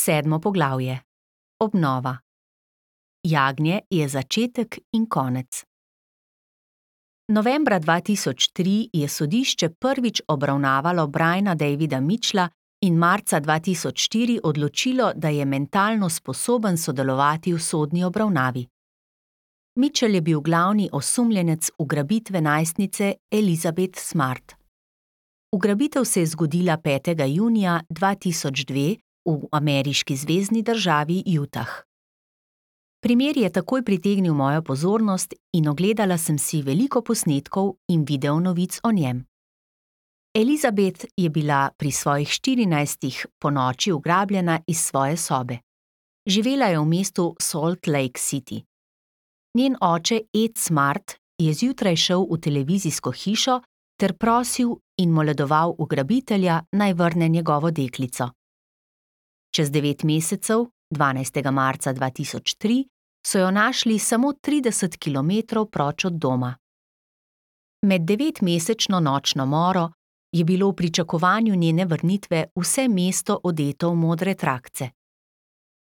7. poglavje. Obnova. Jagnje je začetek in konec. Novembra 2003 je sodišče prvič obravnavalo Briana Davida Mitchella in marca 2004 odločilo, da je mentalno sposoben sodelovati v sodni obravnavi. Mitchell je bil glavni osumljenec ugrabitve najstnice Elizabeth Smart. Ugrabitev se je zgodila 5. junija 2002 v ameriški zvezni državi Utah. Primer je takoj pritegnil mojo pozornost in ogledala sem si veliko posnetkov in videonovic o njem. Elizabeth je bila pri svojih 14 ponoči ugrabljena iz svoje sobe. Živela je v mestu Salt Lake City. Njen oče Ed Smart je zjutraj šel v televizijsko hišo ter prosil in moledoval ugrabitelja, naj vrne njegovo deklico. Čez 9 mesecev, 12. marca 2003, so jo našli samo 30 kilometrov proč od doma. Med 9-mesečno nočno moro je bilo v pričakovanju njene vrnitve vse mesto odeto v modre trakce.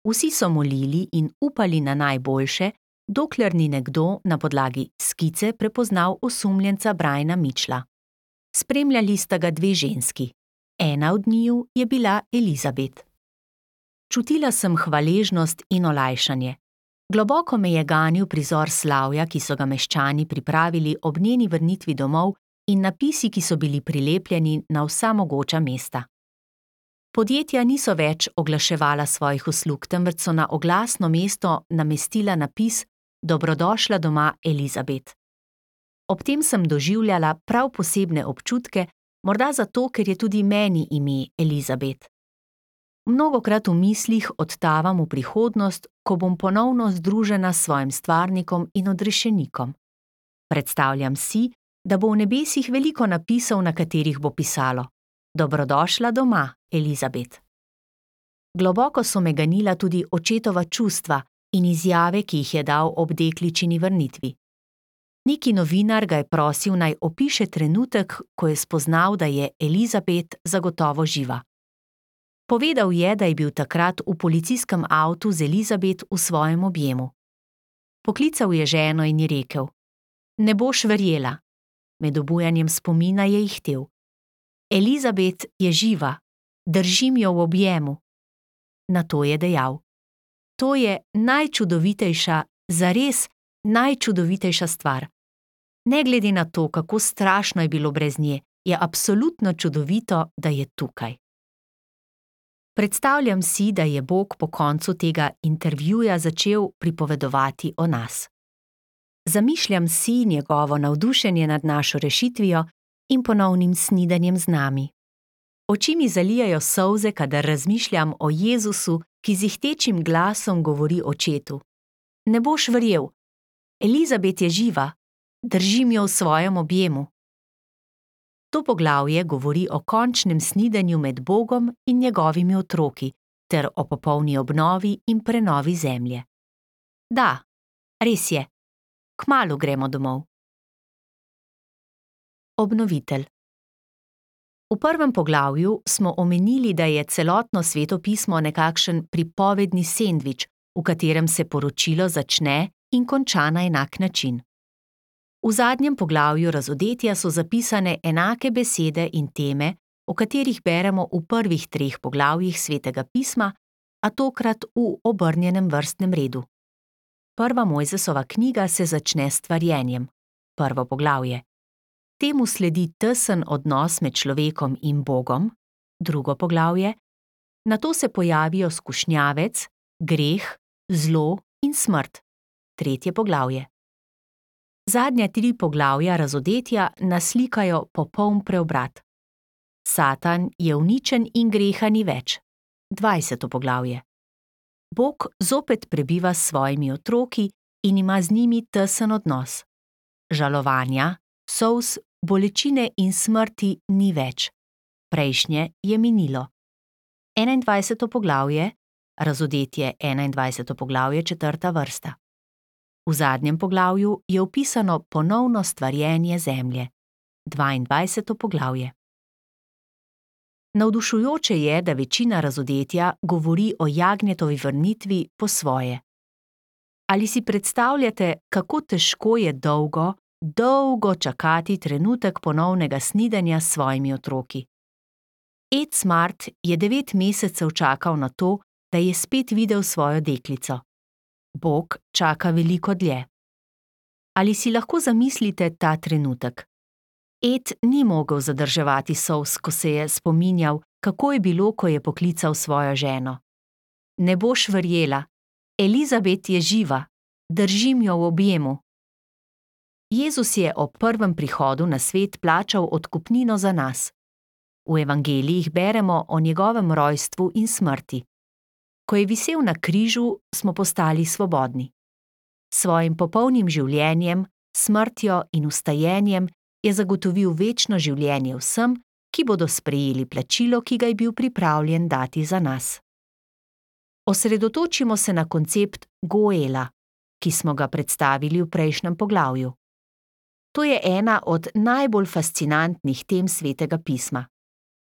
Vsi so molili in upali na najboljše, dokler ni nekdo na podlagi skice prepoznal osumljenca Briana Mitchella. Spremljali sta ga 2 ženski. Ena od njiju je bila Elizabeth. Čutila sem hvaležnost in olajšanje. Globoko me je ganil prizor slavja, ki so ga meščani pripravili ob njeni vrnitvi domov, in napisi, ki so bili prilepljeni na vsa mogoča mesta. Podjetja niso več oglaševala svojih uslug, temveč so na oglasno mesto namestila napis Dobrodošla doma, Elizabeth. Ob tem sem doživljala prav posebne občutke, morda zato, ker je tudi meni ime Elizabeth. Mnogokrat v mislih odtavam v prihodnost, ko bom ponovno združena s svojim stvarnikom in odrešenikom. Predstavljam si, da bo v nebesih veliko napisov, na katerih bo pisalo Dobrodošla doma, Elizabeth. Globoko so me ganila tudi očetova čustva in izjave, ki jih je dal ob dekličini vrnitvi. Neki novinar ga je prosil, naj opiše trenutek, ko je spoznal, da je Elizabeth zagotovo živa. Povedal je, da je bil takrat v policijskem avtu z Elizabeth v svojem objemu. Poklical je ženo in ji rekel: Ne boš verjela. Med obujanjem spomina je ihtel: Elizabeth je živa, držim jo v objemu. Nato je dejal: To je najčudovitejša, zares najčudovitejša stvar. Ne glede na to, kako strašno je bilo brez nje, je absolutno čudovito, da je tukaj. Predstavljam si, da je Bog po koncu tega intervjuja začel pripovedovati o nas. Zamišljam si njegovo navdušenje nad našo rešitvijo in ponovnim snidanjem z nami. Oči mi zalijajo solze, kadar razmišljam o Jezusu, ki z ihtečim glasom govori očetu: Ne boš verjel, Elizabeth je živa, držim jo v svojem objemu. To poglavje govori o končnem snidenju med Bogom in njegovimi otroki ter o popolni obnovi in prenovi zemlje. Da, res je, kmalu gremo domov. Obnovitelj. V 1. poglavju smo omenili, da je celotno Sveto pismo nekakšen pripovedni sendvič, v katerem se poročilo začne in konča na enak način. V zadnjem poglavju Razodetja so zapisane enake besede in teme, o katerih beremo v prvih 3 poglavjih Svetega pisma, a tokrat v obrnjenem vrstnem redu. 1. Mojzesova knjiga se začne s stvarjenjem, 1. poglavje. Temu sledi tesen odnos med človekom in Bogom, 2. poglavje. Nato se pojavijo skušnjavec, greh, zlo in smrt, 3. poglavje. Zadnja 3 poglavja Razodetja naslikajo popoln preobrat. Satan je uničen in greha ni več, 20. poglavje. Bog zopet prebiva s svojimi otroki in ima z njimi tesen odnos. Žalovanja, solz, bolečine in smrti ni več. Prejšnje je minilo. 21. poglavje, Razodetje 21. poglavje, 4. vrsta. V zadnjem poglavju je opisano ponovno stvarjenje zemlje, 22. poglavje. Navdušujoče je, da večina razodetja govori o jagnjetovi vrnitvi po svoje. Ali si predstavljate, kako težko je dolgo čakati trenutek ponovnega snidenja s svojimi otroki? Ed Smart je 9 mesecev čakal na to, da je spet videl svojo deklico. Bog čaka veliko dlje. Ali si lahko zamislite ta trenutek? Ed ni mogel zadrževati solz, ko se je spominjal, kako je bilo, ko je poklical svojo ženo. Ne boš verjela, Elizabet je živa, držim jo v objemu. Jezus je ob prvem prihodu na svet plačal odkupnino za nas. V evangelijih beremo o njegovem rojstvu in smrti. Ko je visel na križu, smo postali svobodni. Svojim popolnim življenjem, smrtjo in vstajenjem je zagotovil večno življenje vsem, ki bodo sprejeli plačilo, ki ga je bil pripravljen dati za nas. Osredotočimo se na koncept Goela, ki smo ga predstavili v prejšnjem poglavju. To je ena od najbolj fascinantnih tem Svetega pisma.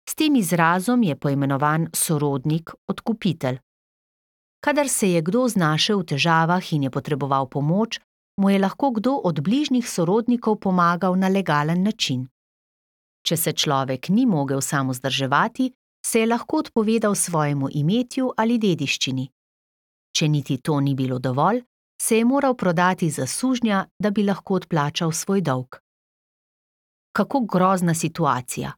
S tem izrazom je poimenovan sorodnik, odkupitelj. Kadar se je kdo znašel v težavah in je potreboval pomoč, mu je lahko kdo od bližnjih sorodnikov pomagal na legalen način. Če se človek ni mogel sam vzdrževati, se je lahko odpovedal svojemu imetju ali dediščini. Če niti to ni bilo dovolj, se je moral prodati za sužnja, da bi lahko odplačal svoj dolg. Kako grozna situacija!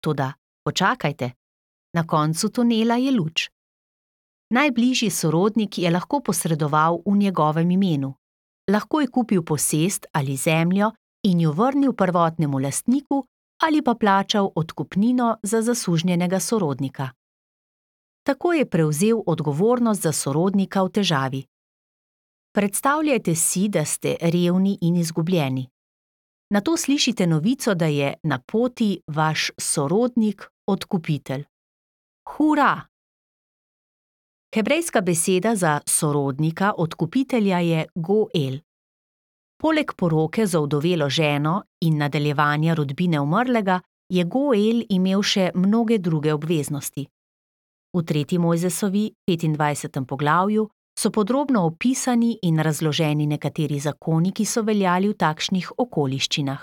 Toda počakajte, na koncu tunela je luč. Najbližji sorodnik je lahko posredoval v njegovem imenu. Lahko je kupil posest ali zemljo in jo vrnil prvotnemu lastniku ali pa plačal odkupnino za zasužnjenega sorodnika. Tako je prevzel odgovornost za sorodnika v težavi. Predstavljajte si, da ste revni in izgubljeni. Nato slišite novico, da je na poti vaš sorodnik, odkupitelj. Hura! Hebrejska beseda za sorodnika, odkupitelja je Goel. Poleg poroke z ovdovelo ženo in nadaljevanja rodbine umrlega je Goel imel še mnoge druge obveznosti. V 3. Mojzesovi 25. poglavju so podrobno opisani in razloženi nekateri zakoni, ki so veljali v takšnih okoliščinah.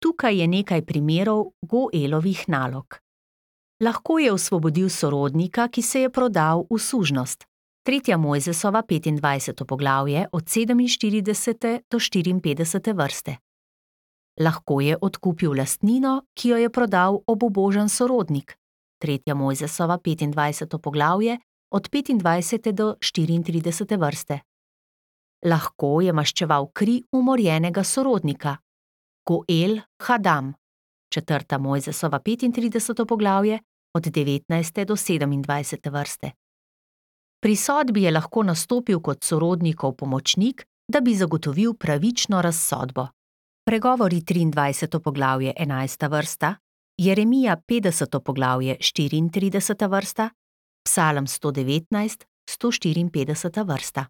Tukaj je nekaj primerov Goelovih nalog. Lahko je osvobodil sorodnika, ki se je prodal v sužnost. 3. Mojzesova 25. poglavje od 47. do 54. vrste. Lahko je odkupil lastnino, ki jo je prodal obubožan sorodnik. 3. Mojzesova 25. poglavje od 25. do 34. vrste. Lahko je maščeval kri umorjenega sorodnika. Goel Hadam. 4. Mojzesova 35. poglavje od 19. do 27. vrste. Pri sodbi je lahko nastopil kot sorodnikov pomočnik, da bi zagotovil pravično razsodbo. Pregovori 23. poglavje 11. vrsta, Jeremija 50. poglavje 34. vrsta, Psalm 119, 154. vrsta.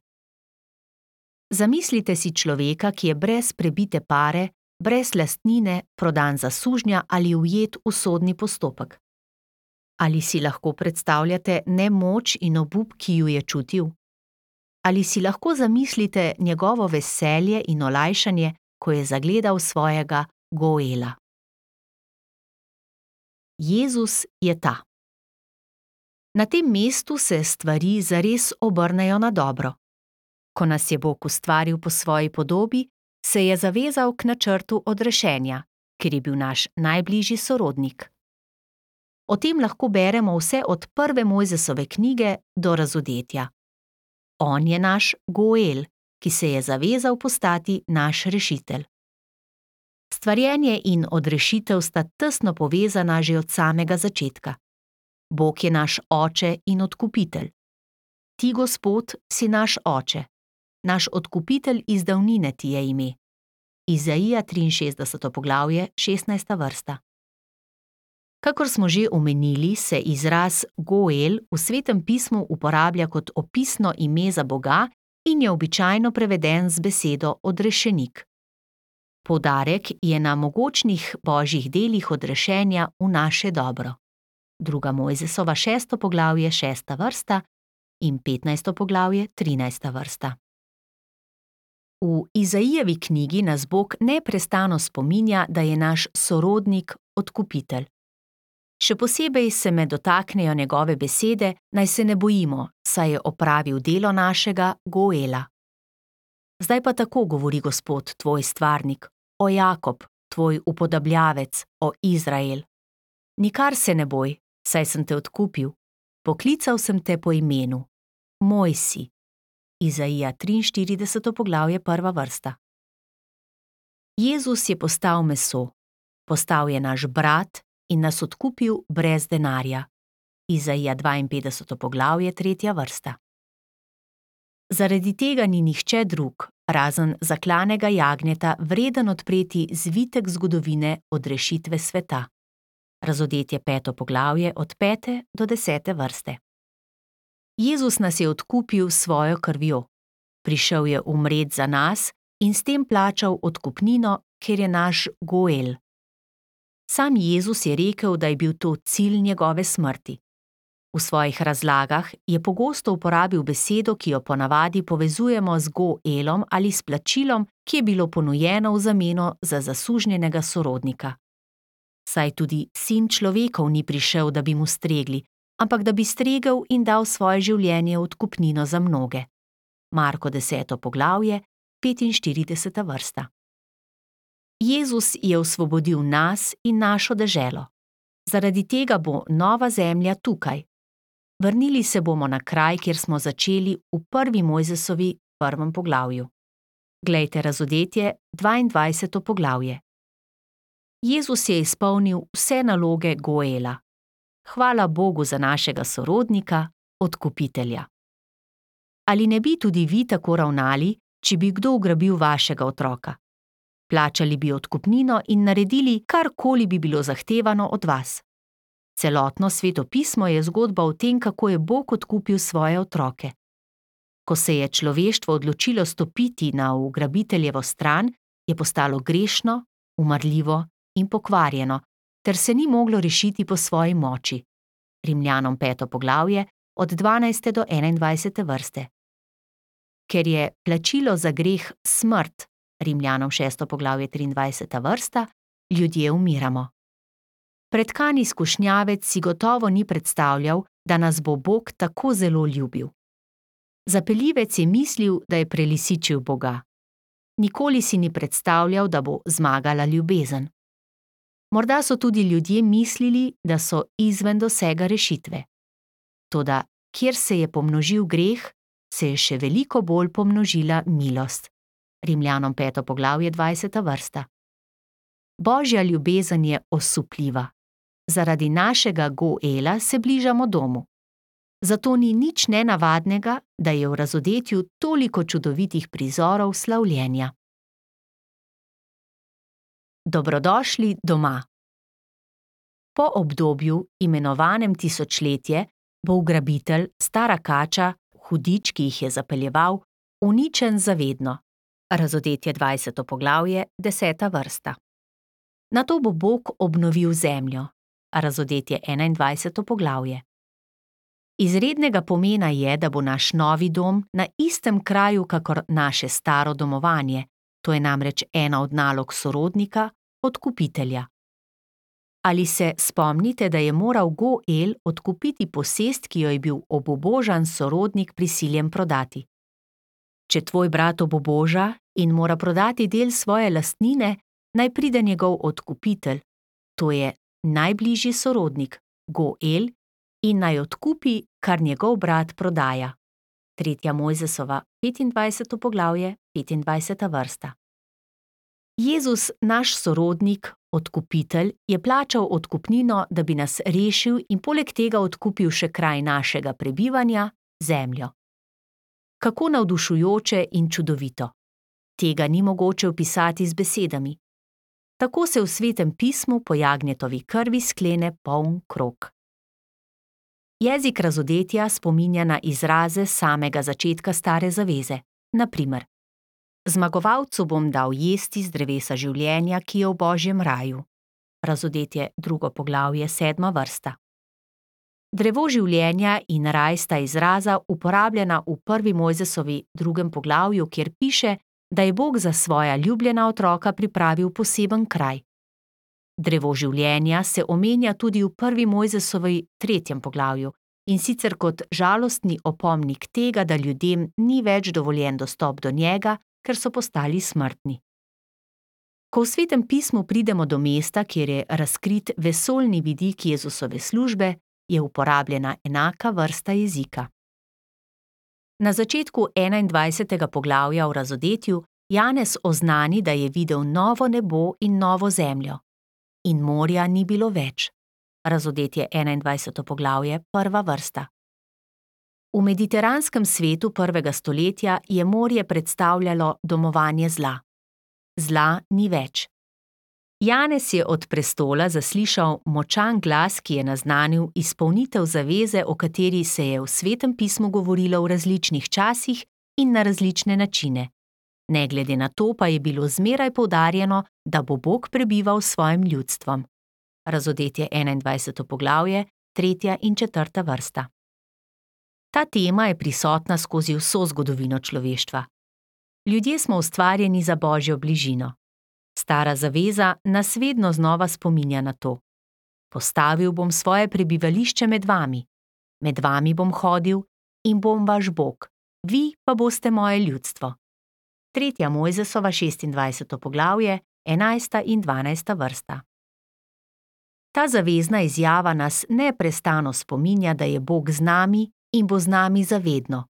Zamislite si človeka, ki je brez prebite pare, brez lastnine, prodan za sužnja ali ujet v sodni postopek. Ali si lahko predstavljate nemoč in obup, ki ju je čutil? Ali si lahko zamislite njegovo veselje in olajšanje, ko je zagledal svojega Goela? Jezus je ta. Na tem mestu se stvari zares obrnejo na dobro. Ko nas je Bog ustvaril po svoji podobi, se je zavezal k načrtu odrešenja, ker je bil naš najbližji sorodnik. O tem lahko beremo vse od 1. Mojzesove knjige do razodetja. On je naš Goel, ki se je zavezal postati naš rešitelj. Stvarjenje in odrešitev sta tesno povezana že od samega začetka. Bog je naš oče in odkupitelj. Ti, Gospod, si naš oče. Naš odkupitelj iz davnine ti je ime. Izaija 63. poglavje, 16. vrsta. Kakor smo že omenili, se izraz Goel v Svetem pismu uporablja kot opisno ime za Boga in je običajno preveden z besedo odrešenik. Poudarek je na mogočnih božjih delih odrešenja v naše dobro. 2. Mojzesova 6. poglavje 6. vrsta in 15. poglavje 13. vrsta. V Izaijevi knjigi nas Bog neprestano spominja, da je naš sorodnik, odkupitelj. Še posebej se me dotaknejo njegove besede, naj se ne bojimo, saj je opravil delo našega Goela. Zdaj pa tako govori Gospod, tvoj stvarnik, o Jakob, tvoj upodabljavec, o Izrael. Nikar se ne boj, saj sem te odkupil. Poklical sem te po imenu. Moj si. Izaija 43. poglavje 1. vrsta. Jezus je postal meso. Postal je naš brat in nas odkupil brez denarja. Izaija 52. poglavje 3. vrsta. Zaradi tega ni nihče drug, razen zaklanega jagnjeta, vreden odpreti zvitek zgodovine od rešitve sveta. Razodetje 5. poglavje od 5. do 10. vrste. Jezus nas je odkupil s svojo krvjo. Prišel je umret za nas in s tem plačal odkupnino, ker je naš Goel. Sam Jezus je rekel, da je bil to cilj njegove smrti. V svojih razlagah je pogosto uporabil besedo, ki jo ponavadi povezujemo z Goelom ali s plačilom, ki je bilo ponujeno v zameno za zasužnjenega sorodnika. Saj tudi sin človekov ni prišel, da bi mu stregli, ampak da bi stregel in dal svoje življenje v odkupnino za mnoge. Marko 10. poglavje, 45. vrsta. Jezus je osvobodil nas in našo deželo. Zaradi tega bo nova zemlja tukaj. Vrnili se bomo na kraj, kjer smo začeli v 1. Mojzesovi 1. poglavju. Glejte razodetje 22. poglavje. Jezus je izpolnil vse naloge Goela. Hvala Bogu za našega sorodnika, odkupitelja. Ali ne bi tudi vi tako ravnali, če bi kdo ugrabil vašega otroka? Plačali bi odkupnino in naredili, karkoli bi bilo zahtevano od vas. Celotno Sveto pismo je zgodba o tem, kako je Bog odkupil svoje otroke. Ko se je človeštvo odločilo stopiti na ugrabiteljevo stran, je postalo grešno, umrljivo in pokvarjeno, ter se ni moglo rešiti po svoji moči. Rimljanom 5. poglavje od 12. do 21. vrste. Ker je plačilo za greh smrt, Rimljanom 6. poglavje 23. vrsta, ljudje umiramo. Pretkani skušnjavec si gotovo ni predstavljal, da nas bo Bog tako zelo ljubil. Zapeljivec je mislil, da je prelisičil Boga. Nikoli si ni predstavljal, da bo zmagala ljubezen. Morda so tudi ljudje mislili, da so izven dosega rešitve. Toda, kjer se je pomnožil greh, se je še veliko bolj pomnožila milost. Rimljanom 5. poglavje 20. vrsta. Božja ljubezen je osupljiva. Zaradi našega Goela se bližamo domu. Zato ni nič nenavadnega, da je v razodetju toliko čudovitih prizorov slavljenja. Dobrodošli doma. Po obdobju, imenovanem tisočletje, bo ugrabitelj, stara kača, hudič, ki jih je zapeljeval, uničen zavedno. Razodetje 20. poglavje, 10. vrsta. Nato bo Bog obnovil zemljo. Razodetje 21. poglavje. Izrednega pomena je, da bo naš novi dom na istem kraju, kakor naše staro domovanje. To je namreč ena od nalog sorodnika, odkupitelja. Ali se spomnite, da je moral Goel odkupiti posest, ki jo je bil obubožan sorodnik prisiljen prodati? Če tvoj brat obuboža in mora prodati del svoje lastnine, naj pride njegov odkupitelj, to je najbližji sorodnik, Goel, in naj odkupi, kar njegov brat prodaja. 3. Mojzesova 25. poglavje, 25. vrsta. Jezus, naš sorodnik, odkupitelj, je plačal odkupnino, da bi nas rešil in poleg tega odkupil še kraj našega prebivanja, zemljo. Kako navdušujoče in čudovito. Tega ni mogoče opisati z besedami. Tako se v Svetem pismu po jagnjetovi krvi sklene poln krog. Jezik razodetja spominja na izraze samega začetka Stare zaveze. Na primer, zmagovalcu bom dal jesti z drevesa življenja, ki je v Božjem raju. Razodetje 2. poglavje 7. vrsta. Drevo življenja in raj sta izraza uporabljena v 1. Mojzesovi 2. poglavju, kjer piše, da je Bog za svoja ljubljena otroka pripravil poseben kraj. Drevo življenja se omenja tudi v 1. Mojzesovi 3. poglavju, in sicer kot žalostni opomnik tega, da ljudem ni več dovoljen dostop do njega, ker so postali smrtni. Ko v Svetem pismu pridemo do mesta, kjer je razkrit vesoljni vidik Jezusove službe, je uporabljena enaka vrsta jezika. Na začetku 21. poglavja v Razodetju Janez oznani, da je videl novo nebo in novo zemljo. In morja ni bilo več. Razodetje 21. poglavje, 1. vrsta. V mediteranskem svetu 1. stoletja je morje predstavljalo domovanje zla. Zla ni več. Janez je od prestola zaslišal močan glas, ki je naznanil izpolnitev zaveze, o kateri se je v Svetem pismu govorilo v različnih časih in na različne načine. Ne glede na to pa je bilo zmeraj poudarjeno, da bo Bog prebival s svojim ljudstvom. Razodetje 21. poglavje, 3. in 4. vrsta. Ta tema je prisotna skozi vso zgodovino človeštva. Ljudje smo ustvarjeni za Božjo bližino. Stara zaveza nas vedno znova spominja na to. Postavil bom svoje prebivališče med vami bom hodil in bom vaš Bog, vi pa boste moje ljudstvo. 3. Mojzesova 26. poglavje, 11. in 12. vrsta. Ta zavezna izjava nas neprestano spominja, da je Bog z nami in bo z nami zavedno.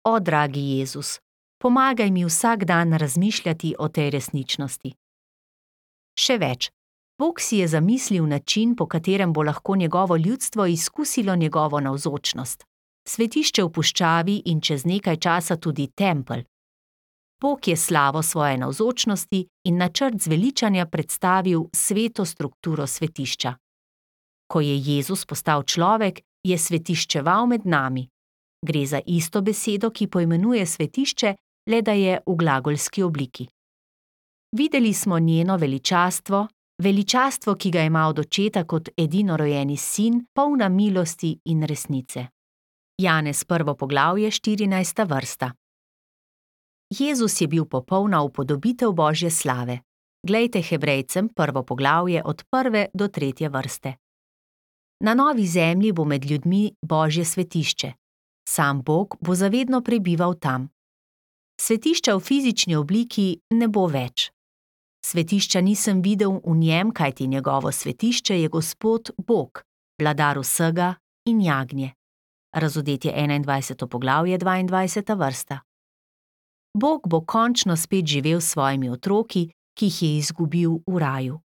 O, dragi Jezus, pomagaj mi vsak dan razmišljati o tej resničnosti. Še več, Bog si je zamislil način, po katerem bo lahko njegovo ljudstvo izkusilo njegovo navzočnost. Svetišče v puščavi in čez nekaj časa tudi tempelj. Bog je slavo svoje navzočnosti in načrt zveličanja predstavil sveto strukturo svetišča. Ko je Jezus postal človek, je svetiščeval med nami. Gre za isto besedo, ki poimenuje svetišče, le da je v glagolski obliki. Videli smo njeno veličastvo, ki ga ima od očeta kot edinorojeni sin, polna milosti in resnice. Janez 1. poglavje, 14. vrsta. Jezus je bil popolna upodobitev Božje slave. Glejte Hebrejcem 1. poglavje od 1. do 3. vrste. Na novi zemlji bo med ljudmi Božje svetišče. Sam Bog bo zavedno prebival tam. Svetišča v fizični obliki ne bo več. Svetišča nisem videl v njem, kajti njegovo svetišče je Gospod Bog, vladar vsega in jagnje. Razodetje 21. poglavje, 22. vrsta. Bog bo končno spet živel s svojimi otroki, ki jih je izgubil v raju.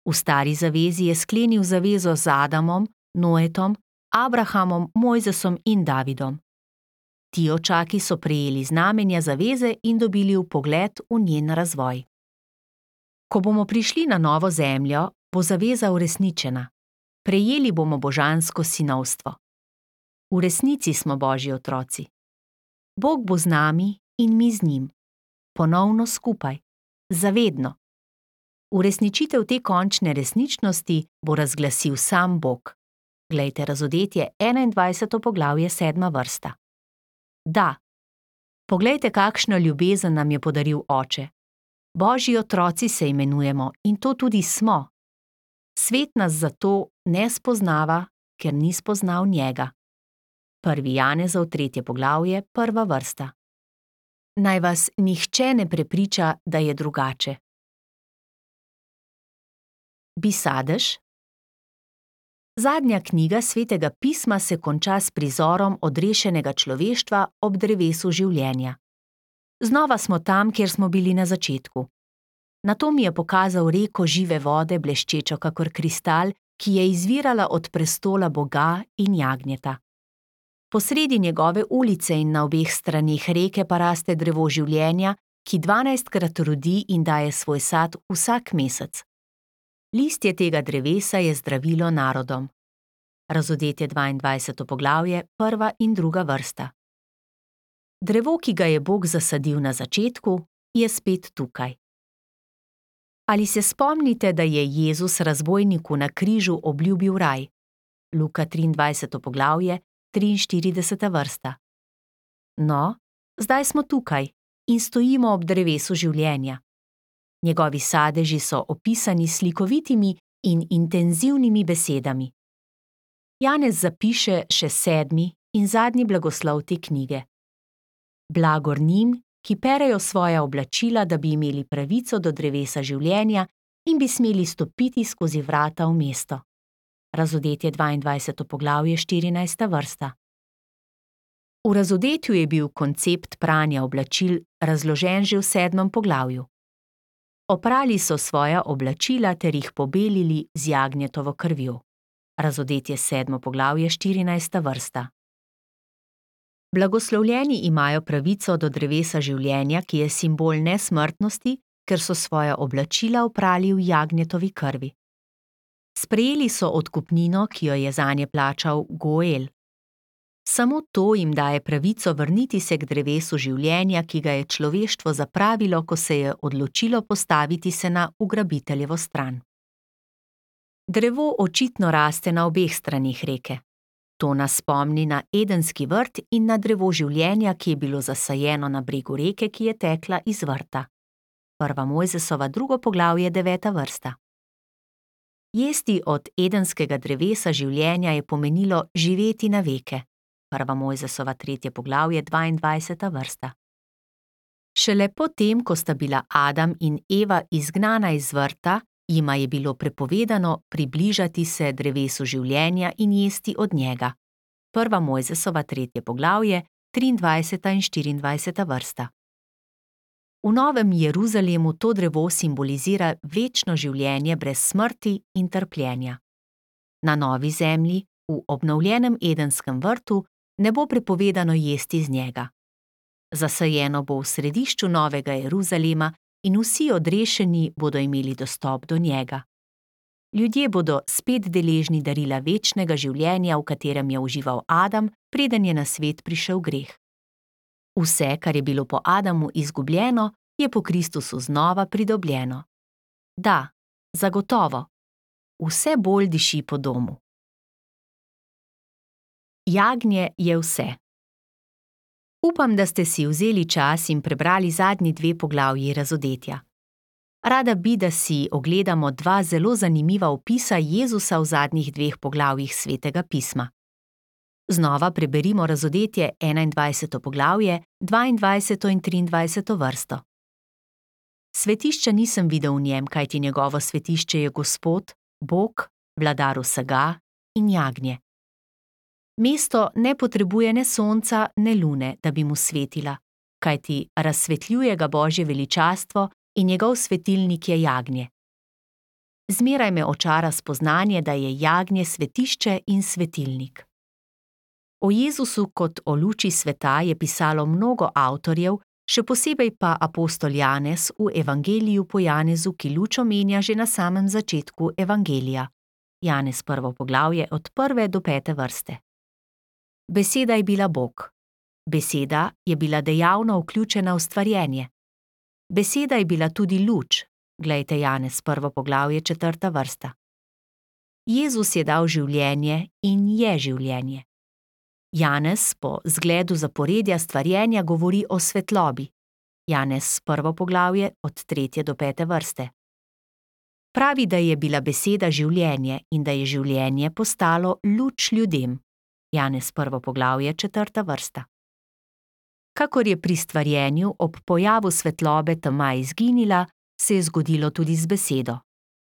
V stari zavezi je sklenil zavezo z Adamom, Noetom, Abrahamom, Mojzesom in Davidom. Ti očaki so prejeli znamenja zaveze in dobili vpogled v njen razvoj. Ko bomo prišli na novo zemljo, bo zaveza uresničena. Prejeli bomo božansko sinovstvo. V resnici smo Božji otroci. Bog bo z nami in mi z njim. Ponovno skupaj. Zavedno. Uresničitev te končne resničnosti bo razglasil sam Bog. Glejte Razodetje 21. poglavje, 7. vrsta. Da. Poglejte, kakšno ljubezen nam je podaril Oče. Božji otroci se imenujemo in to tudi smo. Svet nas zato ne spoznava, ker ni spoznal njega. 1. Janezov 3. poglavje, 1. vrsta. Naj vas nihče ne prepriča, da je drugače. Bi sadež? Zadnja knjiga Svetega pisma se konča s prizorom odrešenega človeštva ob drevesu življenja. Znova smo tam, kjer smo bili na začetku. Nato mi je pokazal reko žive vode, bleščečo kakor kristal, ki je izvirala od prestola Boga in jagnjeta. Posredi njegove ulice in na obeh straneh reke pa raste drevo življenja, ki 12-krat rodi in daje svoj sad vsak mesec. Listje tega drevesa je zdravilo narodom. Razodetje 22. poglavje, 1. in 2. vrsta. Drevo, ki ga je Bog zasadil na začetku, je spet tukaj. Ali se spomnite, da je Jezus razbojniku na križu obljubil raj? Luka 23. poglavje, 43. vrsta. No, zdaj smo tukaj in stojimo ob drevesu življenja. Njegovi sadeži so opisani s slikovitimi in intenzivnimi besedami. Janez zapiše še 7. in zadnji blagoslov te knjige. Blagor njim, ki perejo svoja oblačila, da bi imeli pravico do drevesa življenja in bi smeli stopiti skozi vrata v mesto. Razodetje 22. poglavje, 14. vrsta. V razodetju je bil koncept pranja oblačil razložen že v 7. poglavju. Oprali so svoja oblačila ter jih pobelili z jagnjetovo krvjo. Razodetje 7. poglavje, 14. vrsta. Blagoslovljeni imajo pravico do drevesa življenja, ki je simbol nesmrtnosti, ker so svoja oblačila oprali v jagnjetovi krvi. Sprejeli so odkupnino, ki jo je zanje plačal Goel. Samo to jim daje pravico vrniti se k drevesu življenja, ki ga je človeštvo zapravilo, ko se je odločilo postaviti se na ugrabiteljevo stran. Drevo očitno raste na obeh stranih reke. To nas spomni na Edenski vrt in na drevo življenja, ki je bilo zasajeno na bregu reke, ki je tekla iz vrta. 1. Mojzesova 2. poglavje, 9. vrsta. Jesti od edenskega drevesa življenja je pomenilo živeti na veke. 1. Mojzesova 3. poglavje, 22. vrsta. Šele po tem, ko sta bila Adam in Eva izgnana iz vrta, jima je bilo prepovedano približati se drevesu življenja in jesti od njega. 1. Mojzesova 3. poglavje, 23. in 24. vrsta. V Novem Jeruzalemu to drevo simbolizira večno življenje brez smrti in trpljenja. Na novi zemlji, v obnovljenem edenskem vrtu, ne bo prepovedano jesti z njega. Zasajeno bo v središču Novega Jeruzalema in vsi odrešeni bodo imeli dostop do njega. Ljudje bodo spet deležni darila večnega življenja, v katerem je užival Adam, preden je na svet prišel greh. Vse, kar je bilo po Adamu izgubljeno, je po Kristusu znova pridobljeno. Da, zagotovo. Vse bolj diši po domu. Jagnje je vse. Upam, da ste si vzeli čas in prebrali zadnji 2 poglavji razodetja. Rada bi, da si ogledamo 2 zelo zanimiva opisa Jezusa v zadnjih 2 poglavjih Svetega pisma. Znova preberimo razodetje 21. poglavje, 22. in 23. vrsto. Svetišča nisem videl v njem, kajti njegovo svetišče je Gospod, Bog, vladar vsega in jagnje. Mesto ne potrebuje ne sonca, ne lune, da bi mu svetila, kajti razsvetljuje ga Božje veličastvo in njegov svetilnik je jagnje. Zmeraj me očara spoznanje, da je jagnje svetišče in svetilnik. O Jezusu kot o luči sveta je pisalo mnogo avtorjev, še posebej pa apostol Janez v Evangeliju po Janezu, ki luč omenja že na samem začetku Evangelija. Janez 1. poglavje od 1. do 5. vrste. Beseda je bila Bog. Beseda je bila dejavno vključena v stvarjenje. Beseda je bila tudi luč. Glejte Janez 1. poglavje 4. vrsta. Jezus je dal življenje in je življenje. Janez po zgledu zaporedja stvarjenja govori o svetlobi. Janez 1. poglavje od 3. do 5. vrste. Pravi, da je bila beseda življenje in da je življenje postalo luč ljudem. Janez 1. poglavje 4. vrsta. Kakor je pri stvarjenju ob pojavu svetlobe tema izginila, se je zgodilo tudi z besedo.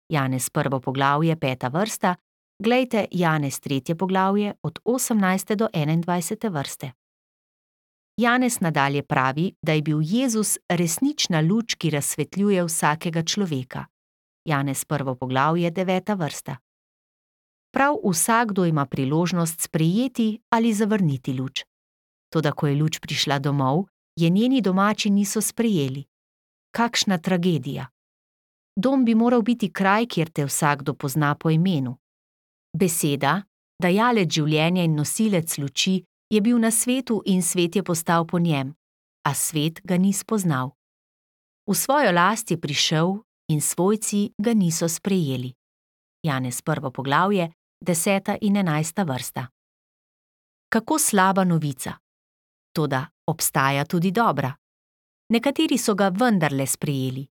Janez 1. poglavje 5. vrsta. Glejte Janez 3. poglavje od 18. do 21. vrste. Janez nadalje pravi, da je bil Jezus resnična luč, ki razsvetljuje vsakega človeka. Janez 1. poglavje 9. vrsta. Prav vsakdo ima priložnost sprejeti ali zavrniti luč. Toda ko je luč prišla domov, je njeni domači niso sprejeli. Kakšna tragedija! Dom bi moral biti kraj, kjer te vsakdo pozna po imenu. Beseda, dajalec življenja in nosilec luči, je bil na svetu in svet je postal po njem, a svet ga ni spoznal. V svojo last je prišel in svojci ga niso sprejeli. Janez 1. poglavje 10. in 11. vrsta. Kako slaba novica! Toda obstaja tudi dobra. Nekateri so ga vendarle sprejeli.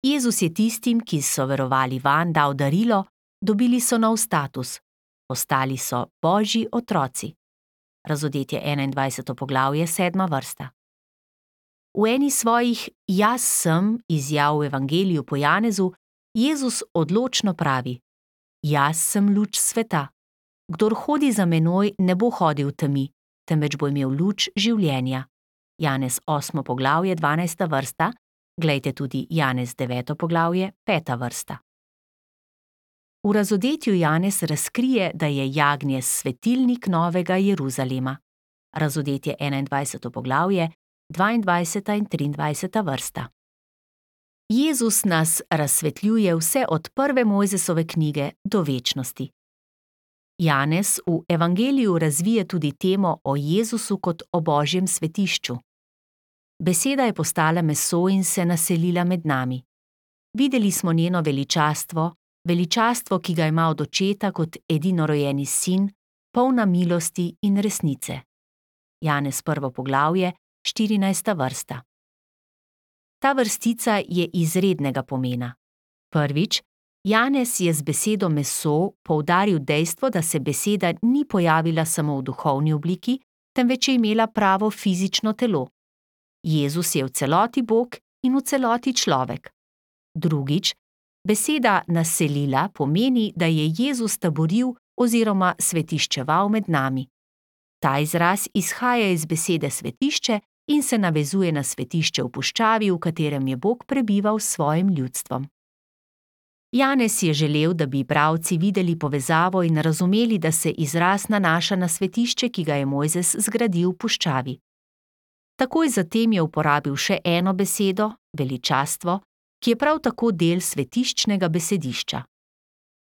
Jezus je tistim, ki so verovali vanj, dal darilo, dobili so nov status. Postali so Božji otroci. Razodetje 21. poglavje, 7. vrsta. V eni svojih jaz sem izjav v Evangeliju po Janezu Jezus odločno pravi: Jaz sem luč sveta. Kdor hodi za menoj, ne bo hodil v temi, temveč bo imel luč življenja. Janez 8. poglavje, 12. vrsta, glejte tudi Janez 9. poglavje, 5. vrsta. V razodetju Janez razkrije, da je jagnje svetilnik Novega Jeruzalema. Razodetje 21. poglavje, 22. in 23. vrsta. Jezus nas razsvetljuje vse od prve Mojzesove knjige do večnosti. Janez v Evangeliju razvije tudi temo o Jezusu kot o Božjem svetišču. Beseda je postala meso in se naselila med nami. Videli smo njeno veličastvo, veličastvo, ki ga ima od očeta kot edinorojeni sin, polna milosti in resnice. Janez 1. poglavje, 14. vrsta. Ta vrstica je izrednega pomena. Prvič, Janez je z besedo meso poudaril dejstvo, da se beseda ni pojavila samo v duhovni obliki, temveč je imela pravo fizično telo. Jezus je v celoti Bog in v celoti človek. Drugič, beseda naselila pomeni, da je Jezus taboril oziroma svetiščeval med nami. Ta izraz izhaja iz besede svetišče in se navezuje na svetišče v puščavi, v katerem je Bog prebival s svojim ljudstvom. Janez je želel, da bi bralci videli povezavo in razumeli, da se izraz nanaša na svetišče, ki ga je Mojzes zgradil v puščavi. Takoj zatem je uporabil še eno besedo, veličastvo, ki je prav tako del svetiščnega besedišča.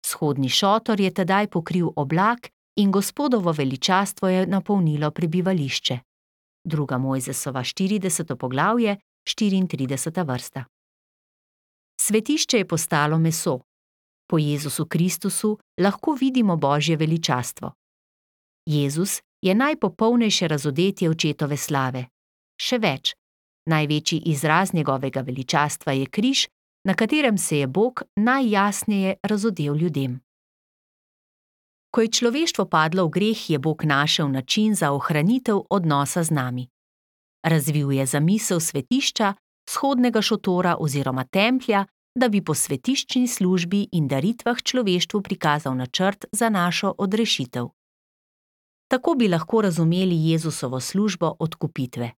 Vzhodni šotor je tedaj pokril oblak in Gospodovo veličastvo je napolnilo prebivališče. 2. Mojzesova 40. poglavje, 34. vrsta. Svetišče je postalo meso. Po Jezusu Kristusu lahko vidimo Božje veličastvo. Jezus je najpopolnejše razodetje očetove slave. Še več, največji izraz njegovega veličastva je križ, na katerem se je Bog najjasneje razodel ljudem. Ko je človeštvo padlo v greh, je Bog našel način za ohranitev odnosa z nami. Razvil je zamisel svetišča, vzhodnega šotora oziroma templja, da bi po svetiščni službi in daritvah človeštvu prikazal načrt za našo odrešitev. Tako bi lahko razumeli Jezusovo službo odkupitve.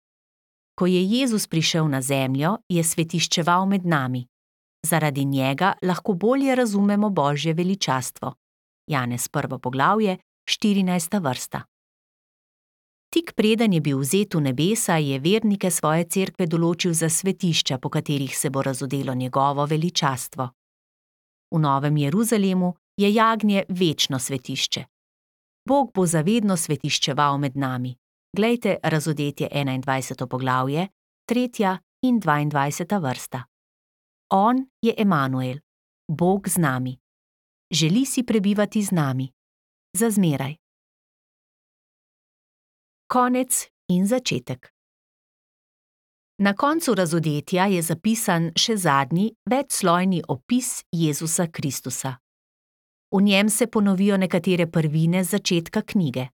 Ko je Jezus prišel na zemljo, je svetiščeval med nami. Zaradi njega lahko bolje razumemo Božje veličastvo. Janez 1. poglavje, 14. vrsta. Tik preden je bil vzet v nebesa, je vernike svoje cerkve določil za svetišča, po katerih se bo razodelo njegovo veličastvo. V Novem Jeruzalemu je jagnje večno svetišče. Bog bo zavedno svetiščeval med nami. Glejte razodetje 21. poglavje, 3. in 22. vrsta. On je Emanuel, Bog z nami. Želi si prebivati z nami. Za zmeraj. Konec in začetek. Na koncu razodetja je zapisan še zadnji, večslojni opis Jezusa Kristusa. V njem se ponovijo nekatere prvine z začetka knjige.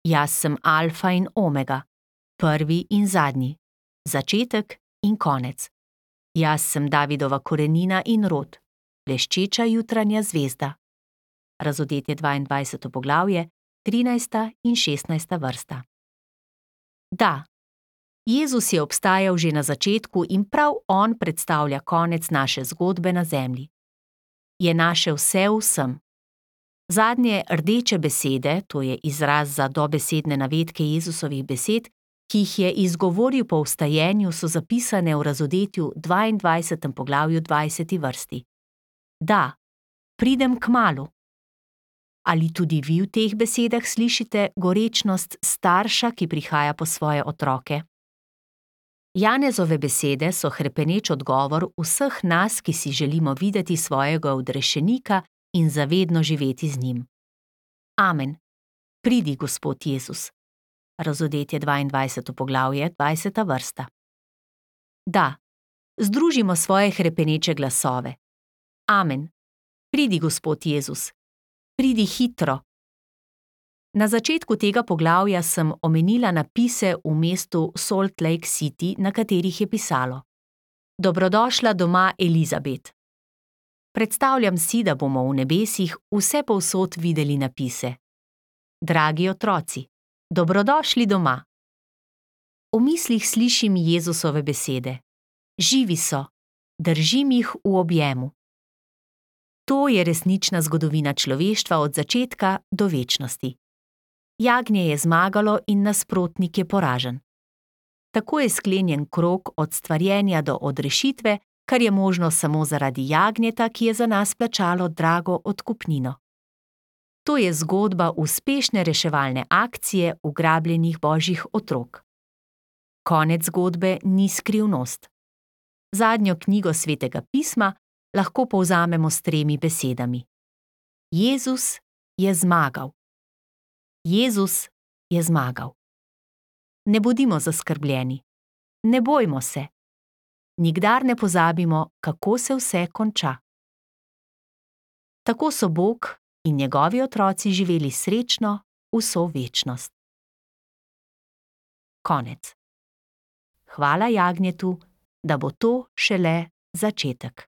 Jaz sem alfa in omega, prvi in zadnji, začetek in konec. Jaz sem Davidova korenina in rod, bleščeča jutranja zvezda. Razodetje 22. poglavje, 13. in 16. vrsta. Da, Jezus je obstajal že na začetku in prav on predstavlja konec naše zgodbe na zemlji. Je naše vse v vsem. Zadnje rdeče besede, to je izraz za dobesedne navedke Jezusovih besed, ki jih je izgovoril po vstajenju, so zapisane v razodetju 22. poglavju 20. vrsti. Da, pridem kmalu. Ali tudi vi v teh besedah slišite gorečnost starša, ki prihaja po svoje otroke? Janezove besede so hrepeneč odgovor vseh nas, ki si želimo videti svojega odrešenika in zavedno živeti z njim. Amen. Pridi, Gospod Jezus. Razodetje 22. poglavje, 20. vrsta. Da, združimo svoje hrepeneče glasove. Amen. Pridi, Gospod Jezus. Pridi hitro. Na začetku tega poglavja sem omenila napise v mestu Salt Lake City, na katerih je pisalo: Dobrodošla doma, Elizabet. Predstavljam si, da bomo v nebesih vsepovsod videli napise: Dragi otroci, dobrodošli doma. V mislih slišim Jezusove besede: Živi so, držim jih v objemu. To je resnična zgodovina človeštva od začetka do večnosti. Jagnje je zmagalo in nasprotnik je poražen. Tako je sklenjen krog od stvarjenja do odrešitve, kar je možno samo zaradi jagnjeta, ki je za nas plačalo drago odkupnino. To je zgodba uspešne reševalne akcije ugrabljenih božjih otrok. Konec zgodbe ni skrivnost. Zadnjo knjigo Svetega pisma lahko povzamemo s 3 besedami: Jezus je zmagal. Jezus je zmagal. Ne bodimo zaskrbljeni. Ne bojmo se. Nikdar ne pozabimo, kako se vse konča. Tako so Bog in njegovi otroci živeli srečno vso večnost. Konec. Hvala jagnjetu, da bo to šele začetek.